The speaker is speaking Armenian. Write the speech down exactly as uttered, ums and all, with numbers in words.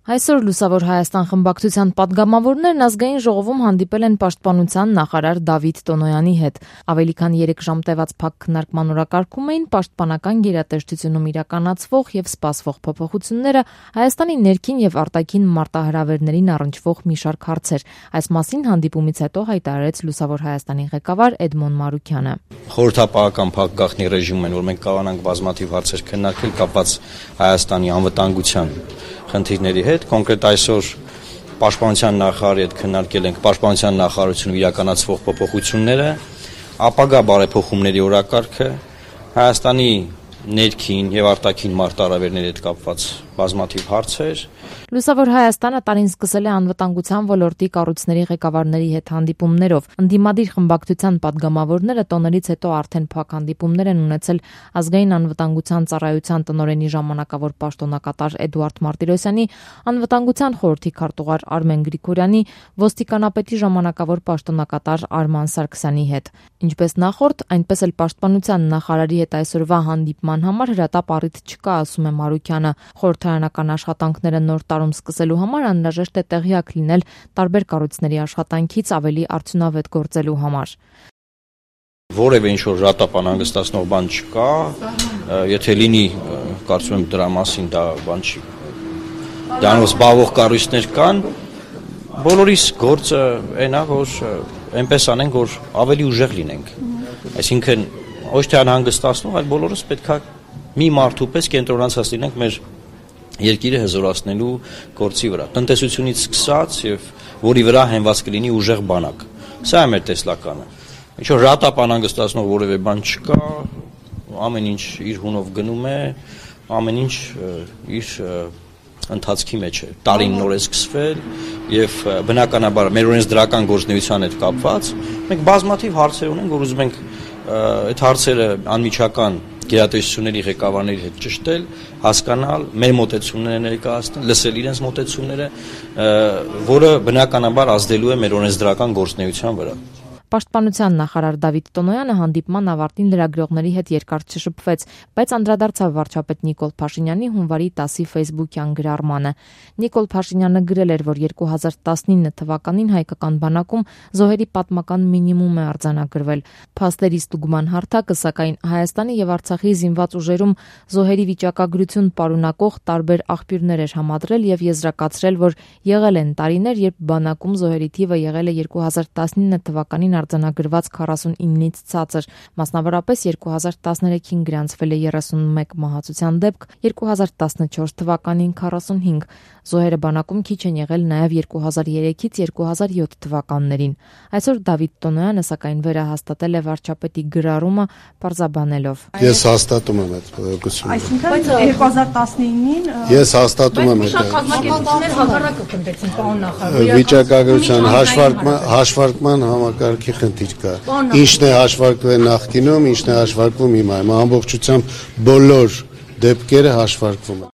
Այսօր Լուսավոր Հայաստան խմբակցության պատգամավորներն ազգային ժողովում հանդիպել են պաշտպանության նախարար Դավիթ Տոնոյանի հետ։ Ավելի քան երեք ժամ տևած փակ քննարկման օրակարգում էին պաշտպանական գերատեսչությունում իրականացվող եւ սպասվող փոփոխությունները, Հայաստանի ներքին եւ արտաքին մարտահրավերներին առնչվող մի շարք հարցեր։ Այս մասին հանդիպումից հետո հայտարարեց Լուսավոր Հայաստանի ղեկավար Էդմոն Մարուքյանը։ Խորհրդապահական փակ գաղտնի ռեժիմում են, որ մենք կարողանանք բազմաթիվ հարցեր քննարկել կապված Հայաստանի անվտանգության խնդիրների հետ, կոնկրետ այսօր պաշտպանության նախարարի հետ քննարկել ենք պաշտպանության նախարարությունում իրականացվող փոփոխությունները, ապագա բարեփոխումների օրակարգը, Հայաստանի ներքին եւ արտաքին մարտահրավերների հետ կապված բազմաթիվ հարցեր։ Լուսավոր Հայաստանը տարին սկսել է անվտանգության ոլորտի կառույցների ղեկավարների հետ հանդիպումներով։ Ընդդիմադիր խմբակցության պատգամավորները տոներից հետո արդեն փակ հանդիպումներ են ունեցել ազգային անվտանգության ծառայության տնօրենի ժամանակավոր պաշտոնակատար Էդուարդ Մարտիրոսյանի, անվտանգության խորհրդի քարտուղար Արմեն Գրիգորյանի, ոստիկանապետի ժամանակավոր պաշտոնակատար Արման Սարգսյանի հետ։ Ինչպես նախորդ, այնպես էլ պաշտպանության նախարարի հետ այսօրվա հանդիպման համար հրատապ առիթ չկա, ասում է Մարուքյանը։ Խորհրդարանական աշխատանքները նոր տարում սկսելու համար անհրաժեշտ է տեղյակ լինել տարբեր կառույցների աշխատանքից ավելի արդյունավետ գործելու համար։ Որևէ ինչ-որ հրատապ անհանգստացնող բան չկա, եթե լինի, կարծում եմ դրա մասին դա բան չի։ Դրանով զբաղվող կառույցներ կան, բոլորիս գործը այն է, որ այնպես անենք, որ ավելի ուժեղ լինենք։ Այսինքն ոչ թե անհանգստացնող, այլ բոլորս պետք է մի մարդու պես կենտրոնացած լինենք մեր երկիրը հզորացնելու գործի վրա, տնտեսությունից սկսած եւ որի վրա հենված կլինի ուժեղ բանակ։ Սա է մեր տեսլականը։ Ինչ որ հրատապ անհանգստացնող որևէ բան չկա, ամեն ինչ իր հունով գնում է, ամեն ինչ իր ընթացքի մեջ է։ Տարին նոր է սկսվել եւ բնականաբար մեր օրենսդրական գործունեության հետ կապված մենք բազմաթիվ հարցեր ունենք, որ ուզում ենք այդ հարցերը անմիջական գերատեսչությունների ղեկավարների հետ ճշտել, հասկանալ, մեր մոտեցումները ներկայացնել, լսել իրենց մոտեցումները, որը բնականաբար ազդելու է մեր օրենսդրական գործունեության վրա։ Պաշտպանության նախարար Դավիթ Տոնոյանը հանդիպման ավարտին լրագրողների հետ երկար չշփվեց, բայց անդրադարձավ վարչապետ Նիկոլ Փաշինյանի հունվարի տասի ֆեյսբուքյան գրառմանը։ Նիկոլ Փաշինյանը գրել էր, որ երկու հազար տասնինը թվականին հայկական բանակում զոհերի պատմական մինիմում է արձանագրվել։ Փաստերի ստուգման հարթակը, սակայն, Հայաստանի եւ Արցախի զինված ուժերում զոհերի վիճակագրություն պարունակող տարբեր աղբյուրներ էր համադրել եւ եզրակացրել, որ եղել են տարիներ, երբ բանակում զոհերի թիվը եղել է երկու հազար տասնինը թվականին արձանագրված քառասունինից ցածր, մասնավորապես երկու հազար տասներեքին գրանցվել է երեսունմեկ մահացության դեպք, երկու հազար տասնչորս թվականին քառասունհինգ, զոհերը բանակում քիչ են եղել նաև երկու հազար երեքից երկու հազար յոթ թվականներին։ Այսօր Դավիթ Տոնոյանը սակայն վերահաստատել է վարչապետի գրառումը պարզաբանելով. Ես հաստատում եմ այդ բողոքությունը։ Այսինքն երկու հազար տասնինին Ես հաստատում եմ այդ կազմակերպություններ հակառակը կնդեցին, պարոն նախարար։ Վիճակագրության հաշվարկման հաշվարկման համակարգի խնդիր կա։ Ինչն է հաշվարկվել նախկինում, ինչն է հաշվարկվում հիմա։ Ամբողջությամբ բոլոր դեպքերը հաշվարկվում են։